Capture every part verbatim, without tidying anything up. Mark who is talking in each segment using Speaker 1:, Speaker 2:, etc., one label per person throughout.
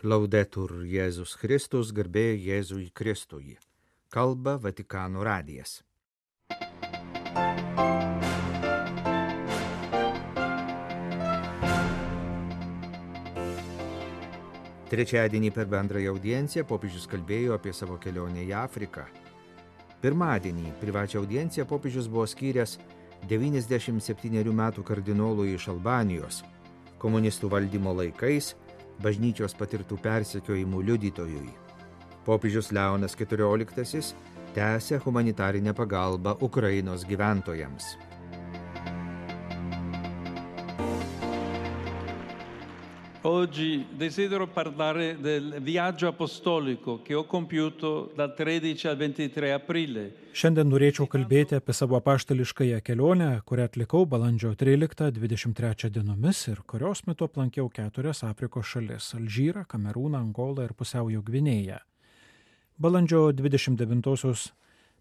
Speaker 1: Laudetur Jėzus Kristus, garbė Jėzui Kristui. Kalba Vatikano radijas. Trečiadienį per bendrąją audienciją popiežius kalbėjo apie savo kelionę į Afriką. Pirmadienį privačią audienciją popiežius buvo skyręs devyniasdešimt septynerių metų kardinolui iš Albanijos, komunistų valdymo laikais bažnyčios patirtų persekiojimų liudytojui. Popiežius Leonas keturioliktasis tęsia humanitarinę pagalbą Ukrainos gyventojams.
Speaker 2: Oggi desidero parlare del viaggio apostolico che ho compiuto dal tredici al ventitré aprile.
Speaker 3: Šiandien norėčiau kalbėti apie savo apaštališkąją kelionę, kurią atlikau balandžio tryliktą dvidešimt trečią dienomis ir kurios metu aplankiau keturias Afrikos šalis – Alžyrą, Kamerūną, Angolą ir Pusiaujo Gvinėją. Balandžio dvidešimt devintosios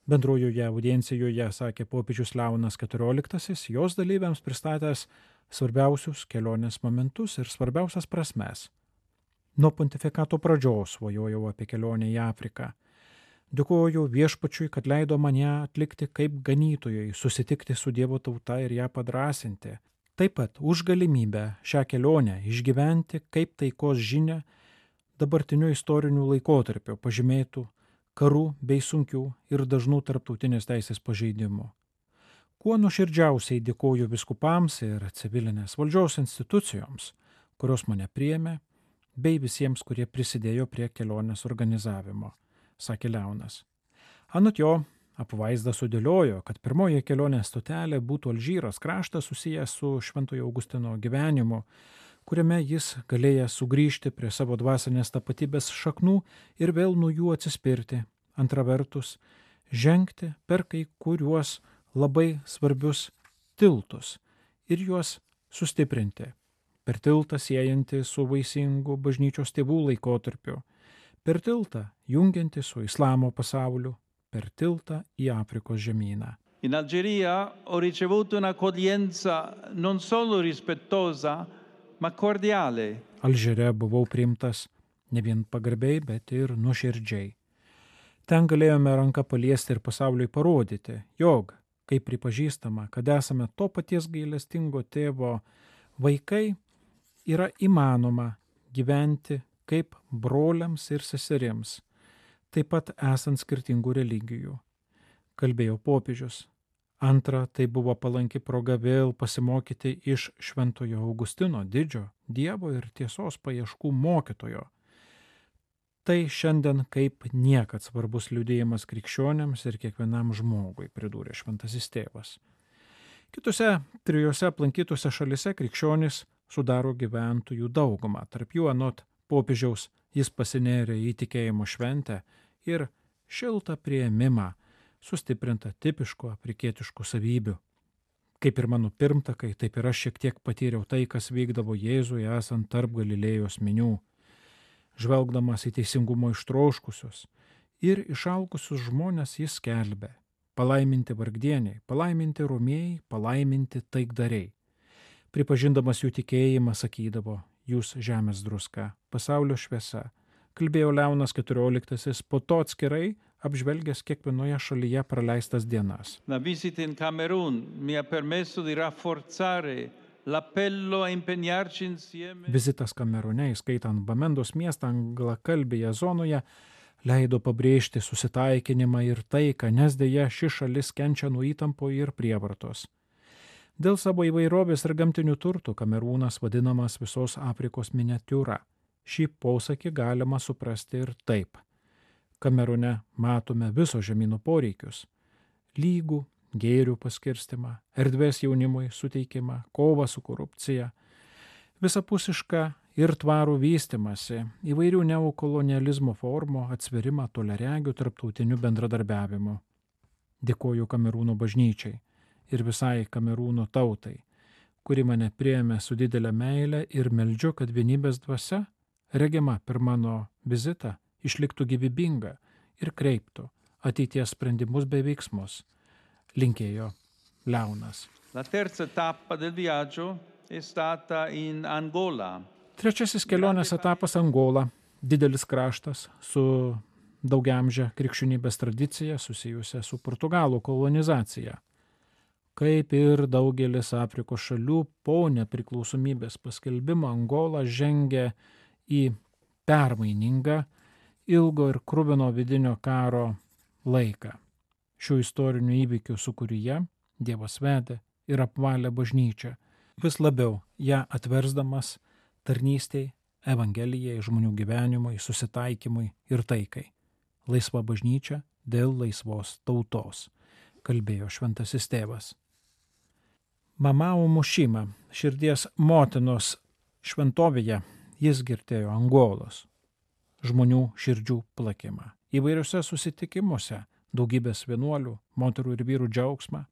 Speaker 3: bendrojoje audiencijoje sakė popiežius Leonas keturioliktasis, jos dalyviams pristatęs svarbiausius kelionės momentus ir svarbiausias prasmes. Nuo pontifikato pradžios svajojau apie kelionę į Afriką. Dėkoju viešpačiui, kad leido mane atlikti kaip ganytojai, susitikti su Dievo tauta ir ją padrąsinti. Taip pat už galimybę šią kelionę išgyventi kaip taikos žinia dabartiniu istoriniu laikotarpiu pažymėtų karų bei sunkių ir dažnų tarptautinės teisės pažeidimų. Kuo nuoširdžiausiai dėkoju viskupams ir civilinės valdžios institucijoms, kurios mane priėmė, bei visiems, kurie prisidėjo prie kelionės organizavimo, sakė Leonas. Anot jo, apvaizda sudėliojo, kad pirmoji kelionės stotelė būtų Alžyros kraštas susijęs su Šventojo Augustino gyvenimu, kuriame jis galėjęs sugrįžti prie savo dvasinės tapatybės šaknų ir vėl nuo jų atsispirti. Antra vertus, žengti per kai kuriuos labai svarbius tiltus ir juos sustiprinti. Per tiltą siejantį su vaisingu bažnyčios tėvų laikotarpiu, per tiltą jungiantį su islamo pasauliu, per tiltą į Afrikos žemyną.
Speaker 2: In Algeria ho ricevuto un'accoglienza non solo rispettosa, ma cordiale.
Speaker 3: Alžyre buvau priimtas ne vien pagarbiai, bet ir nuoširdžiai. Ten galėjome ranką paliesti ir pasauliui parodyti, jog kai pripažįstama, kad esame to paties gailestingo tėvo vaikai, yra įmanoma gyventi kaip broliams ir seserims, taip pat esant skirtingų religijų, kalbėjo popiežius. Antra, tai buvo palanki proga vėl pasimokyti iš Šventojo Augustino didžio Dievo ir tiesos paieškų mokytojo. Tai šiandien kaip niekad svarbus liudėjimas krikščionėms ir kiekvienam žmogui, pridūrė šventasis tėvas. Kitose trijose aplankytose šalise krikščionys sudaro gyventojų daugumą. Tarp jų anot popiežiaus jis pasinėrė į tikėjimo šventę ir šiltą priėmimą, sustiprintą tipiškų afrikietiškų savybių. Kaip ir mano pirmtakai, taip ir aš šiek tiek patyriau tai, kas vykdavo Jėzui esant tarp Galilėjos minių. Žvelgdamas į teisingumo ištroškusius ir išalkusius žmonės jis skelbė: palaiminti vargdieniai, palaiminti romėjai, palaiminti taikdariai. Pripažindamas jų tikėjimą sakydavo: jūs žemės druska, pasaulio šviesa, kalbėjo Leonas keturioliktasis, po to atskirai apžvelgęs kiekvienoje šalyje praleistas dienas.
Speaker 2: La visita in Camerun mi ha permesso di rafforzare l'appello a impegnarci insieme.
Speaker 3: Vizitas Kamerune, įskaitant Bamendos miestą anglakalbėje zonoje, leido pabrėžti susitaikinimą ir taiką, nes dėja ši šalis kenčia nuo įtampo ir prievartos. Dėl savo įvairovės ir gamtinių turtų Kamerūnas vadinamas visos Afrikos miniatiūra. Šį posakį galima suprasti ir taip. Kamerune matome viso žemyno poreikius – lygų, gėrių paskirstimą, erdvės jaunimui suteikimą, kovą su korupcija, visapusišką ir tvarų vystimąsi, įvairių neokolonializmo formų, atsverimą toliaregių tarptautiniu bendradarbiavimu. Dėkoju Kamerūno bažnyčiai ir visai Kamerūno tautai, kuri mane priėmė su didelė meile ir meldžiu, kad vienybės dvasia, regima per mano vizitą, išliktų gyvybinga ir kreiptų ateities sprendimus bei veiksmus, linkėjo Leonas.
Speaker 2: La terza tappa del viaggio è stata in Angola.
Speaker 3: Trečiasis kelionės etapas Angola, didelis kraštas su daugiamže krikščionybės tradicija susijusia su Portugalų kolonizacija. Kaip ir daugelis Afrikos šalių, po nepriklausomybės paskelbimo Angola žengė į permainingą, ilgo ir kruvino vidinio karo laiką. Šių istorinių įvykių sūkuryje Dievas vedė ir apvalė bažnyčią, vis labiau ją atversdamas tarnystei, evangelijai, žmonių gyvenimui, susitaikymui ir taikai. Laisva bažnyčia dėl laisvos tautos, kalbėjo šventasis tėvas. Mamao Mušima, širdies motinos šventovėje, jis girdėjo Angolos žmonių širdžių plakimą. Įvairiuose susitikimuose daugybės vienuolių, moterų ir vyrų džiaugsmą,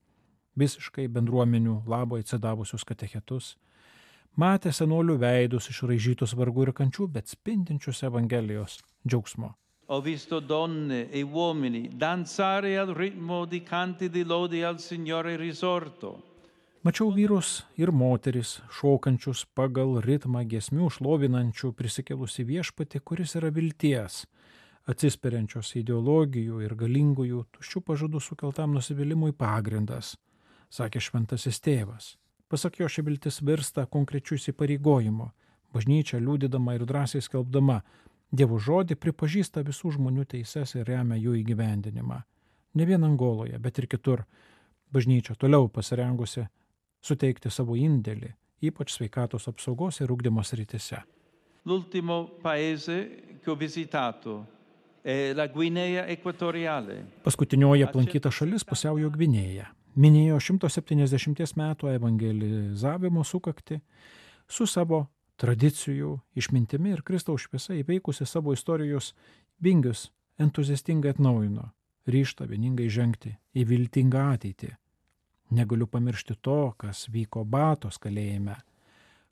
Speaker 3: visiškai bendruomenių labo atsidavusius katechetus, matė senolių veidus išraižytus vargų ir kančių, bet spindinčius Evangelijos džiaugsmo.
Speaker 2: Ho visto donne e uomini danzare al ritmo di canti di lodi al Signore risorto.
Speaker 3: Mačiau vyrus ir moteris, šokančius pagal ritmą giesmių, šlovinančių prisikelusi viešpatį, kuris yra vilties, atsisperiančios ideologijų ir galingųjų tuščių pažadų sukeltam nusivylimui pagrindas, sakė šventasis tėvas. Pasak jo, ši viltis virsta konkrečiu įsipareigojimu. Bažnyčia, liudydama ir drąsiai skelbdama Dievo žodį, pripažįsta visų žmonių teises ir remia jų įgyvendinimą. Ne vien Angoloje, bet ir kitur. Bažnyčia toliau pasirengusi suteikti savo indėlį, ypač sveikatos apsaugos ir ugdymo srityse.
Speaker 2: L'ultimo paese che ho visitato è la Guinea Equatoriale.
Speaker 3: Paskutinioji aplankyta šalis Pusiaujo Gvinėja. Minėjo šimto septyniasdešimties metų evangelizavimo sukakti su savo tradicijų, išmintimi ir Kristaus šviesa įveikusi savo istorijos vingius entuziastingai atnaujino, ryžtą vieningai žengti į viltingą ateitį. Negaliu pamiršti to, kas vyko Batos kalėjime.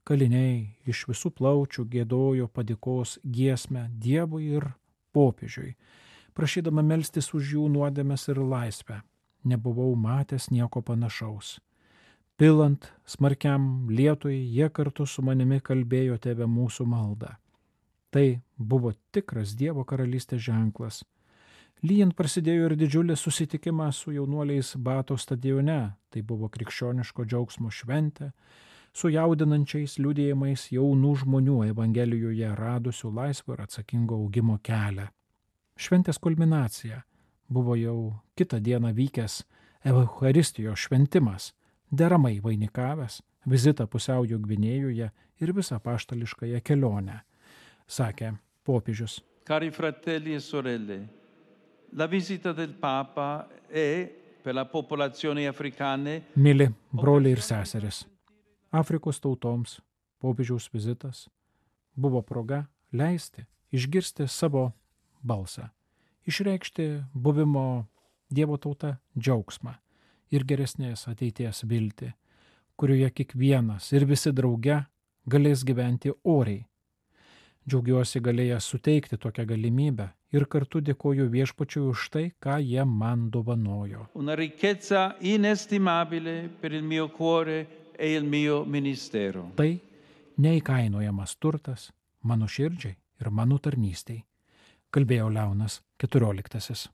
Speaker 3: Kaliniai iš visų plaučių giedojo padėkos giesmę Dievui ir popiežiui, prašydama melstis už jų nuodėmes ir laisvę. Nebuvau matęs nieko panašaus. Pilant smarkiam lietui, jie kartu su manimi kalbėjo Tėve mūsų maldą. Tai buvo tikras Dievo karalystės ženklas. Lyjant prasidėjo ir didžiulis susitikimas su jaunuoliais Bato stadione. Tai buvo krikščioniško džiaugsmo šventė, su jaudinančiais liudijimais jaunų žmonių Evangelijoje radusių laisvą ir atsakingo augimo kelią. Šventės kulminacija buvo jau kitą dieną vykęs Eucharistijos šventimas, deramai vainikavęs vizitą Pusiaujo Gvinėjoje ir visą apaštališkąją kelionę, sakė popiežius.
Speaker 2: Cari fratelli e sorelle, la visita del Papa è per la popolazione africane.
Speaker 3: Mili broliai ir seseris, Afrikos tautoms popiežiaus vizitas buvo proga leisti išgirsti savo balsą, išreikšti buvimo Dievo tauta džiaugsmą ir geresnės ateities viltį, kurioje kiekvienas ir visi drauge galės gyventi oriai. Džiaugiuosi galėjęs suteikti tokią galimybę ir kartu dėkoju Viešpačiui už tai, ką jie man dovanojo.
Speaker 2: Una ricchezza inestimabile per il mio cuore e il mio ministero.
Speaker 3: Tai neįkainojamas turtas mano širdžiai ir mano tarnystei, kalbėjo Leonas keturioliktasis.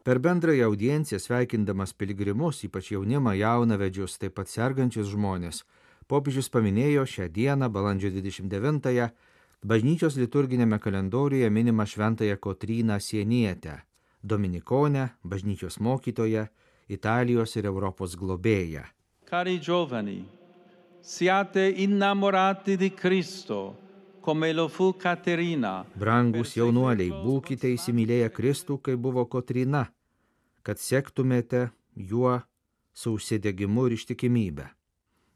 Speaker 1: Per bendrąją audienciją sveikindamas piligrimus, ypač jaunimą, jaunavedžius, taip pat sergančius žmonės, popiežius paminėjo šią dieną, balandžio dvidešimt devintąją, bažnyčios liturginėme kalendoriuje minimą šventąją Kotryną Sienietę, dominikonę, bažnyčios mokytoją, Italijos ir Europos globėją.
Speaker 2: Cari giovani, siate innamorati di Cristo, come lo fu Caterina.
Speaker 1: Brangus jaunuoliai, būkite įsimylėję Kristų, kai buvo Kotryna, kad sektumėte juo su užsidegimu ir ištikimybę.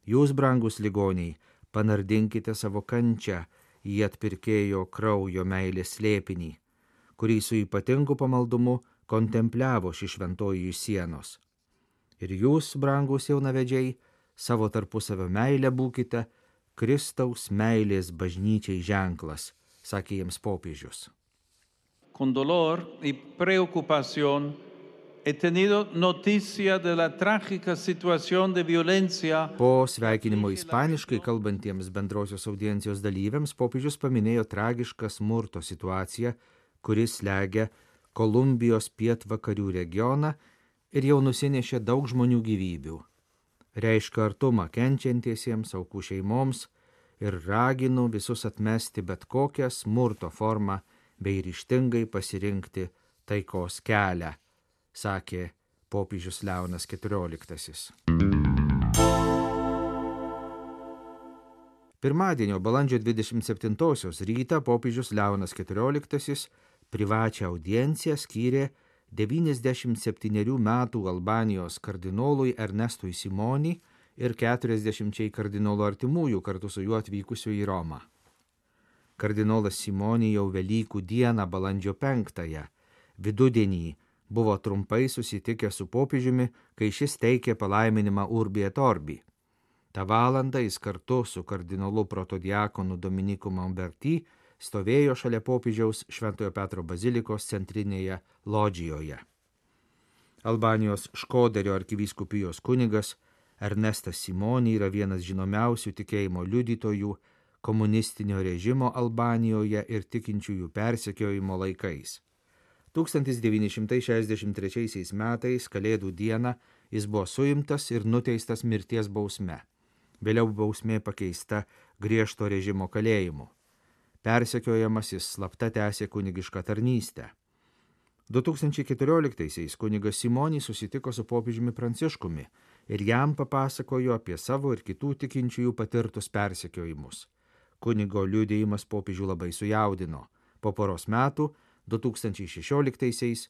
Speaker 1: Jūs, brangus ligoniai, panardinkite savo kančią į atpirkėjo kraujo meilės slėpinį, kurį su ypatingu pamaldumu kontempliavo ši šventoji iš sienos. Ir jūs, brangus jaunavedžiai, savo tarpusavio meilę būkite Kristaus meilės bažnyčiai ženklas, sakė jiems popiežius.
Speaker 2: Con dolor y preocupación He tenido noticia de la trágica situación de violencia.
Speaker 1: Po sveikinimo ispaniškai kalbantiems bendrosios audiencijos dalyviams popiežius paminėjo tragišką smurto situaciją, kuris slegia Kolumbijos pietvakarių regioną ir jau nusinešė daug žmonių gyvybių. Reiškia artumą kenčiantiesiems, aukų šeimoms ir raginu visus atmesti bet kokią smurto formą bei ryžtingai pasirinkti taikos kelią, sakė popiežius Leonas keturioliktasis. Pirmadienio balandžio dvidešimt septintosios rytą popiežius Leonas keturioliktasis privačią audienciją skyrė devyniasdešimt septynerių metų Albanijos kardinolui Ernestui Simoni ir keturiasdešimčiai kardinolo artimųjų kartu su juo atvykusių į Romą. Kardinolas Simoni jau Velykų dieną balandžio penktąją vidudienį buvo trumpai susitikęs su popiežiumi, kai šis teikė palaiminimą Urbi et Orbi. Ta valandą jis kartu su kardinolu protodiakonu Dominiku Mamberty stovėjo šalia popiežiaus Šventojo Petro bazilikos centrinėje lodžijoje. Albanijos Škoderio arkivyskupijos kunigas Ernestas Simoni yra vienas žinomiausių tikėjimo liudytojų komunistinio režimo Albanijoje ir tikinčiųjų persekiojimo laikais. tūkstantis devyni šimtai šešiasdešimt trečiaisiais metais Kalėdų dieną jis buvo suimtas ir nuteistas mirties bausme. Vėliau bausmė pakeista griežto režimo kalėjimu. Persekiojamas jis slapta tęsė kunigišką tarnystę. du tūkstančiai keturioliktaisiais kunigas Simoni susitiko su popiežiumi Pranciškumi ir jam papasakojo apie savo ir kitų tikinčiųjų patirtus persekiojimus. Kunigo liudijimas popiežių labai sujaudino. Po poros metų, du tūkstančiai šešioliktaisiais,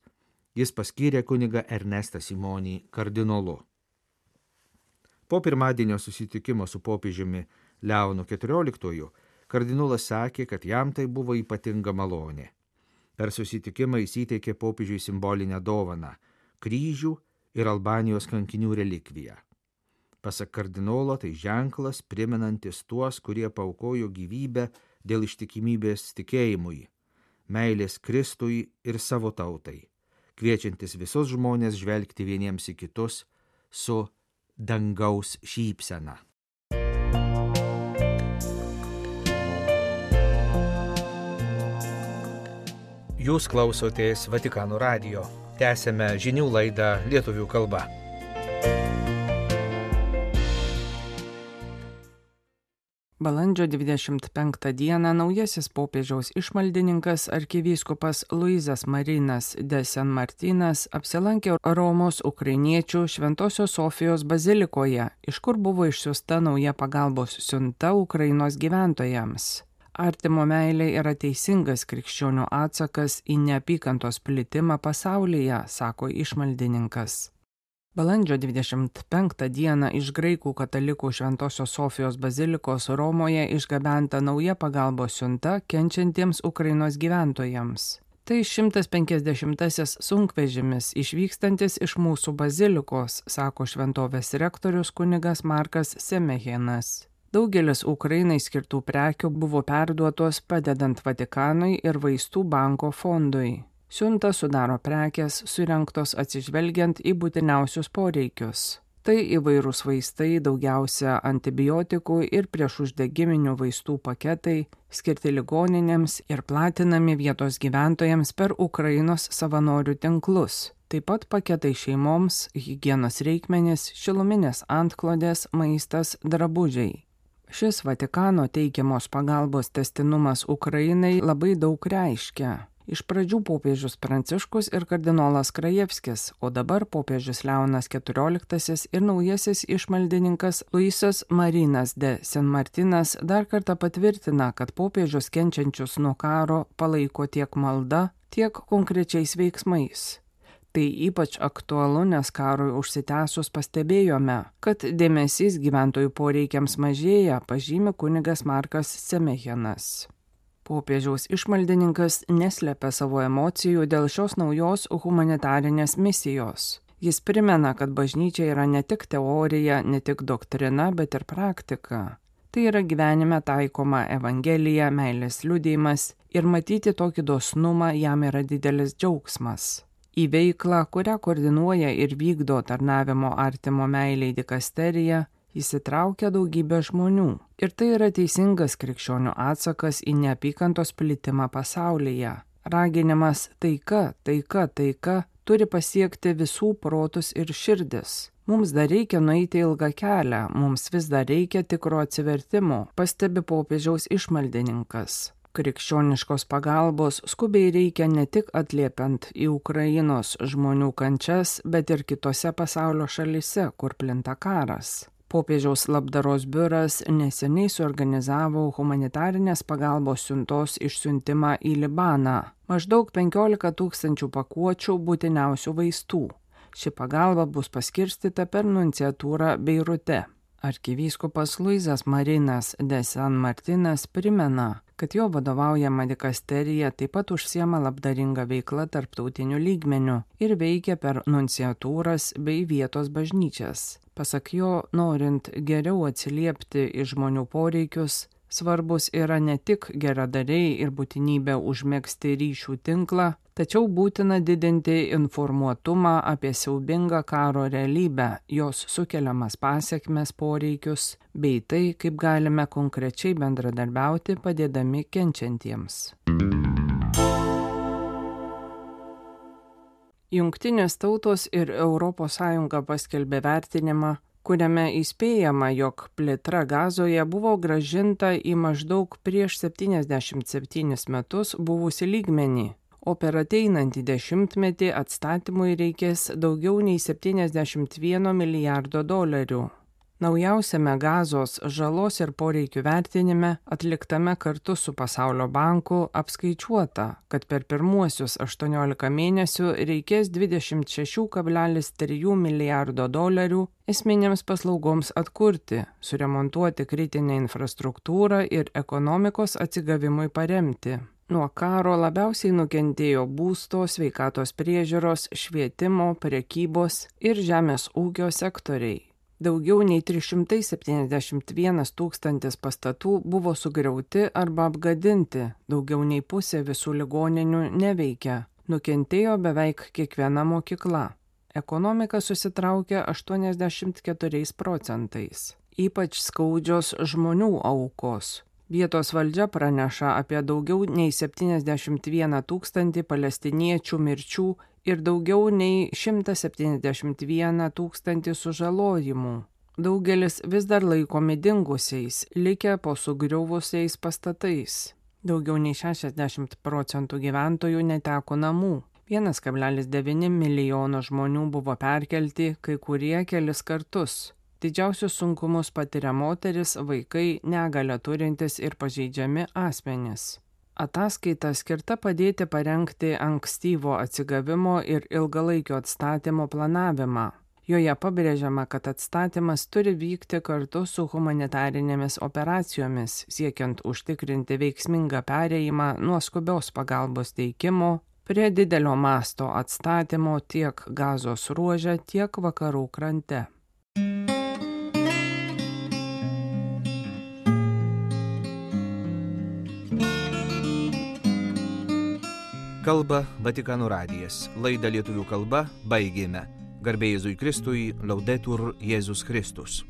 Speaker 1: jis paskyrė kunigą Ernestą Simonį kardinolu. Po pirmadienio susitikimo su popiežiumi Leonu keturioliktuoju kardinolas sakė, kad jam tai buvo ypatinga malonė. Per susitikimą jis įteikė popiežiui simbolinę dovaną – kryžių ir Albanijos kankinių relikviją. Pasak kardinolo, tai ženklas primenantis tuos, kurie paaukojo gyvybę dėl ištikimybės tikėjimui, meilės Kristui ir savo tautai, kviečiantis visus žmonės žvelgti vieniems į kitus su dangaus šypsena. Jūs klausotės Vatikano radijo. Tęsėme žinių laidą lietuvių kalba.
Speaker 4: Balandžio dvidešimt penktą dieną naujasis popiežiaus išmaldininkas arkivyskupas Luizas Marinas de San Martinas apsilankė Romos ukrainiečių Šventosios Sofijos bazilikoje, iš kur buvo išsiųsta nauja pagalbos siunta Ukrainos gyventojams. Artimo meilė yra teisingas krikščionių atsakas į neapykantos plitimą pasaulyje, sako išmaldininkas. Balandžio dvidešimt penktą dieną iš graikų katalikų Šventosios Sofijos bazilikos Romoje išgabenta nauja pagalbos siunta kenčiantiems Ukrainos gyventojams. Tai šimtas penkiasdešimtasis sunkvežimis išvykstantis iš mūsų bazilikos, sako šventovės rektorius kunigas Markas Semehenas. Daugelis Ukrainai skirtų prekių buvo perduotos padedant Vatikanui ir Vaistų banko fondui. Siunta sudaro prekės surinktos atsižvelgiant į būtiniausius poreikius. Tai įvairūs vaistai, daugiausia antibiotikų ir priešuždegiminių vaistų paketai, skirti ligoninėms ir platinami vietos gyventojams per Ukrainos savanorių tinklus. Taip pat paketai šeimoms, higienos reikmenys, šiluminės antklodės, maistas, drabužiai. Šis Vatikano teikiamos pagalbos tęstinumas Ukrainai labai daug reiškia. Iš pradžių popiežius Pranciškus ir kardinolas Krajevskis, o dabar popiežius Leonas keturioliktasis ir naujasis išmaldininkas Luisas Marinas de San Martinas dar kartą patvirtina, kad popiežius kenčiančius nuo karo palaiko tiek malda, tiek konkrečiais veiksmais. Tai ypač aktualu, nes karui užsitęsus pastebėjome, kad dėmesys gyventojų poreikiams mažėja, pažymi kunigas Markas Semehenas. Popiežiaus išmaldininkas neslepia savo emocijų dėl šios naujos humanitarinės misijos. Jis primena, kad bažnyčia yra ne tik teorija, ne tik doktrina, bet ir praktika. Tai yra gyvenime taikoma evangelija, meilės liudijimas ir matyti tokį dosnumą jam yra didelis džiaugsmas. Į veiklą, kurią koordinuoja ir vykdo tarnavimo artimo meilei dikasterija, įsitraukia daugybė žmonių. Ir tai yra teisingas krikščionių atsakas į neapykantos plitimą pasaulyje. Raginimas taika, taika, taika turi pasiekti visų protus ir širdis. Mums dar reikia nueiti ilgą kelią, mums vis dar reikia tikro atsivertimo, pastebi popiežiaus išmaldininkas. Krikščioniškos pagalbos skubiai reikia ne tik atliepiant į Ukrainos žmonių kančias, bet ir kitose pasaulio šalyse, kur plinta karas. Popiežiaus labdaros biuras neseniai suorganizavo humanitarinės pagalbos siuntos išsiuntimą į Libaną. Maždaug penkiolika tūkstančių pakuočių būtiniausių vaistų. Ši pagalba bus paskirstyta per nunciatūrą Beirute. Arkivyskupas Luizas Marinas de San Martinas primena, kad jo vadovaujama dikasterija taip pat užsiema labdaringa veikla tarptautiniu lygmeniu ir veikia per nunciatūras bei vietos bažnyčias. Pasak jo, norint geriau atsiliepti į žmonių poreikius, svarbus yra ne tik geradariai ir būtinybė užmegzti ryšių tinklą, tačiau būtina didinti informuotumą apie siaubingą karo realybę, jos sukeliamas pasekmes, poreikius, bei tai, kaip galime konkrečiai bendradarbiauti padėdami kenčiantiems. Jungtinės tautos ir Europos Sąjunga paskelbė vertinimą, kuriame įspėjama, jog plėtra Gazoje buvo grąžinta į maždaug prieš septyniasdešimt septynis metus buvusį lygmenį, o per ateinantį dešimtmetį atstatymui reikės daugiau nei septyniasdešimt vieno milijardo dolerių. Naujausiame Gazos žalos ir poreikių vertinime, atliktame kartu su Pasaulio banku, apskaičiuota, kad per pirmuosius aštuoniolika mėnesių reikės dvidešimt šeši kablelis trys milijardo dolerių esminėms paslaugoms atkurti, suremontuoti kritinę infrastruktūrą ir ekonomikos atsigavimui paremti. Nuo karo labiausiai nukentėjo būsto, sveikatos priežiūros, švietimo, prekybos ir žemės ūkio sektoriai. Daugiau nei trys šimtai septyniasdešimt vienas tūkstantis pastatų buvo sugriauti arba apgadinti, daugiau nei pusė visų ligoninių neveikia, nukentėjo beveik kiekviena mokykla. Ekonomika susitraukė aštuoniasdešimt keturiais procentais. Ypač skaudžios žmonių aukos. Vietos valdžia praneša apie daugiau nei septyniasdešimt vieną tūkstantį palestiniečių mirčių ir daugiau nei šimtą septyniasdešimt vieną tūkstantį sužalojimų. Daugelis vis dar laikomi dingusiais, likę po sugriuvusiais pastatais. Daugiau nei šešiasdešimt procentų gyventojų neteko namų. vienas kablelis devyni milijono žmonių buvo perkelti, kai kurie kelis kartus. Didžiausius sunkumus patiria moteris, vaikai, negalią turintys ir pažeidžiami asmenys. Ataskaita skirta padėti parengti ankstyvo atsigavimo ir ilgalaikio atstatymo planavimą. Joje pabrėžiama, kad atstatymas turi vykti kartu su humanitarinėmis operacijomis, siekiant užtikrinti veiksmingą perėjimą nuo skubios pagalbos teikimo prie didelio masto atstatymo tiek Gazos ruože, tiek vakarų krante.
Speaker 1: Kalba Vatikano radijas. Laidą lietuvių kalba baigėme. Garbė Jėzui Kristui, Laudetur Jėzus Kristus.